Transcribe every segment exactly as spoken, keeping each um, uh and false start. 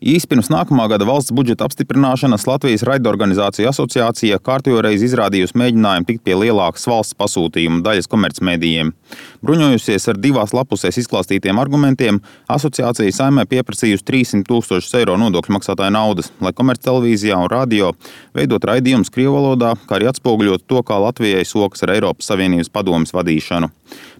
Īsi pirms nākamā gada valsts budžeta apstiprināšanas Latvijas raidorganizāciju asociācija kārtējo reizi izrādījusi mēģinājumu tikt pie lielākas valsts pasūtījuma daļas komercmedijiem. Bruņojusies ar divās lapusēs izklāstītiem argumentiem, asociācija Saeimai pieprasījusi trīssimt tūkstošus eiro nodokļu maksātāju naudas, lai komerctelevīzijā un radio veidot raidījumus krievu valodā, kā arī atspoguļot to, kā Latvijai sokas ar Eiropas Savienības padomes vadīšanu.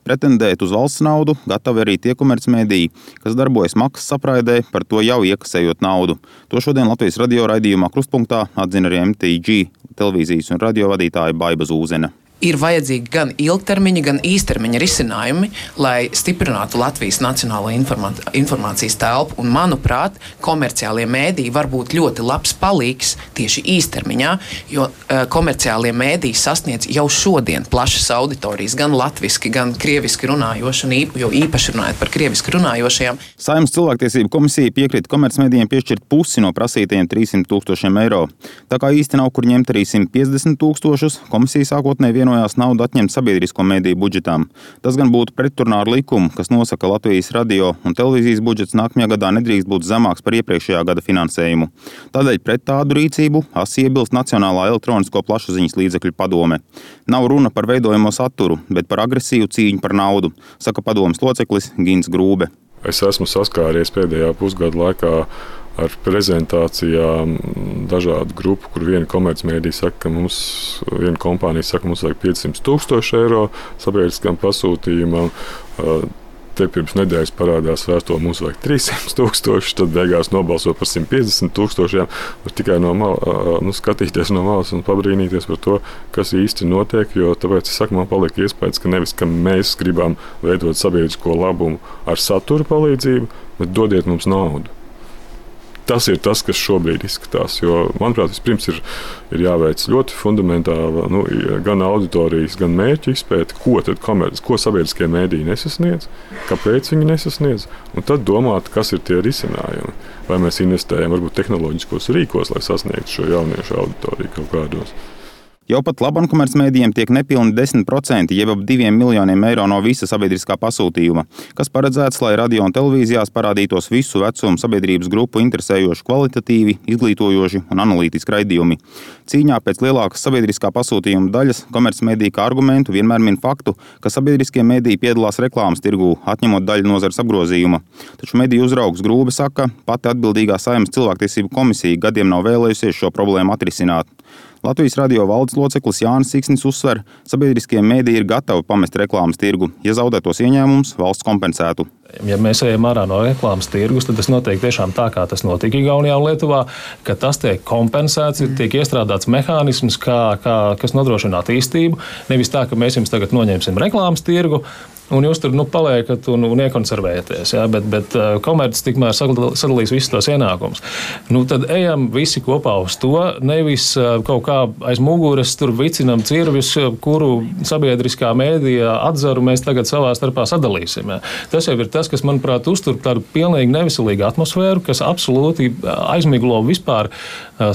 Pretendēt uz valsts naudu gatavi arī tie komercmediji, kas darbojas maksas apraidē, par to jau iekasējot naudu. To šodien Latvijas radio raidījumā Krustpunktā atzina arī M T G televīzijas un radio vadītāja Baiba Zūzene. Ir vajadzīgi gan ilgtermiņa, gan īstermiņa risinājumi, lai stiprinātu Latvijas nacionālo informācijas telpu. Un, manuprāt, komerciālie mēdīji var būt ļoti labs palīgs tieši īstermiņā, jo uh, komerciālie mēdīji sasniedz jau šodien plašas auditorijas, gan latviski, gan krieviski runājoši, un īp, jo īpaši runājot par krieviski runājošajām. Saeimas cilvēktiesību komisija piekrita komercmedijiem piešķirt pusi no prasītajiem trīssimt tūkstošiem eiro. Tā kā īsti nav kur ņemt arī simt piecdesmit tūkstošus, komisija sākotnēji vienojās naudu atņemt sabiedrisko mediju budžetām. Tas gan būtu pretrunā ar likumu, kas nosaka Latvijas radio un televīzijas budžets nākamajā gadā nedrīkst būt zemāks par iepriekšējā gada finansējumu. Tādēļ pret tādu rīcību asi iebilst Nacionālā elektronisko plašsaziņas līdzekļu padome. Nav runa par veidojamo saturu, bet par agresīvu cīņu par naudu, saka padomes loceklis Gins Grūbe. Es esmu saskāries pēdējā pusgada laikā ar prezentācijām dažādu grupu, kur viena komercmedija saka, ka mums, viena kompānija saka, mums vajag piecsimt tūkstoši eiro sabiedriskam pasūtījumam. Te pirms nedēļas parādās vēstule, mums vajag trīssimt tūkstoši, tad beigās nobalso par simt piecdesmit tūkstošiem. Tikai no malas, nu, skatīties no malas un pabrīnīties par to, kas īsti notiek, jo tāpēc es saku, man paliek iespējas, ka nevis, ka mēs gribam veidot sabiedrisko labumu ar satura palīdzību, bet dodiet mums naudu. Tas ir tas, kas šobrīd izskatās, jo, manuprāt, vispirms ir, ir jāveic ļoti fundamentāla nu, gan auditorijas, gan mērķu izpēte, ko tad komerci, ko sabiedriskie mēdīji nesasniedz, kāpēc viņi nesasniedz, un tad domāt, kas ir tie risinājumi. Vai mēs investējam varbūt tehnoloģiskos rīkos, lai sasniegtu šo jauniešu auditoriju kaut kādos. Jau pat labam komercmedijiem tiek nepilni desmit procenti, jeb ap diviem miljoniem eiro no visa sabiedriskā pasūtījuma, kas paredzēts, lai radio un televīzijās parādītos visu vecumu sabiedrības grupu interesējoši kvalitatīvi, izglītojoši un analītiski raidījumi. Cīņā pēc lielākas sabiedriskā pasūtījuma daļas komercmediji kā argumentu vienmēr min faktu, ka sabiedriskie mediji piedalās reklāmas tirgū, atņemot daļu nozares apgrozījuma. Taču mediju uzraugs Grūbe saka, pati atbildīgā Saeimas cilvēktiesību komisija gadiem nav vēlējusies šo problēmu atrisināt. Latvijas radio valdes loceklis Jānis Siksnis uzsver, sabiedriskie mediji ir gatavi pamest reklāmas tirgu, ja zaudētos ieņēmumus valsts kompensētu. Ja mēs ejam ārā no reklāmas tirgus, tad tas notiek tiešām tā, kā tas notika Igaunijā un Lietuvā, ka tas tiek kompensēts, tiek iestrādāts mehānisms, kā, kā, kas nodrošina attīstību. Nevis tā, ka mēs jums tagad noņemsim reklāmas tirgu, un jūs tur nu, paliekat un, un iekonservēties, ja? bet, bet komercis tikmēr sadalīs visus tos ienākumus. Nu, tad ejam visi kopā uz to, nevis kaut kā aiz muguras tur vicinam cirvis, kuru sabiedriskā mēdījā atzaru mēs tagad savā starpā sadalīsim. Ja? Tas jau ir tas, kas, manuprāt, uztur tādu pilnīgi neveselīgu atmosfēru, kas absolūti aizmiglo vispār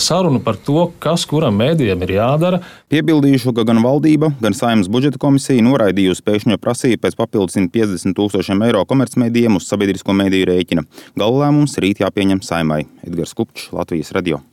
sarunu par to, kas kuram mēdījam ir jādara. Piebildīšu, ka gan valdība, gan Saeimas budžeta komisija noraidījusi pēkšņo prasību pēc papildus simt piecdesmit tūkstošiem eiro komercmedijiem uz sabiedrisko mediju rēķina. Gala lēmums rīt jāpieņem Saeimai. Edgars Kupčs, Latvijas radio.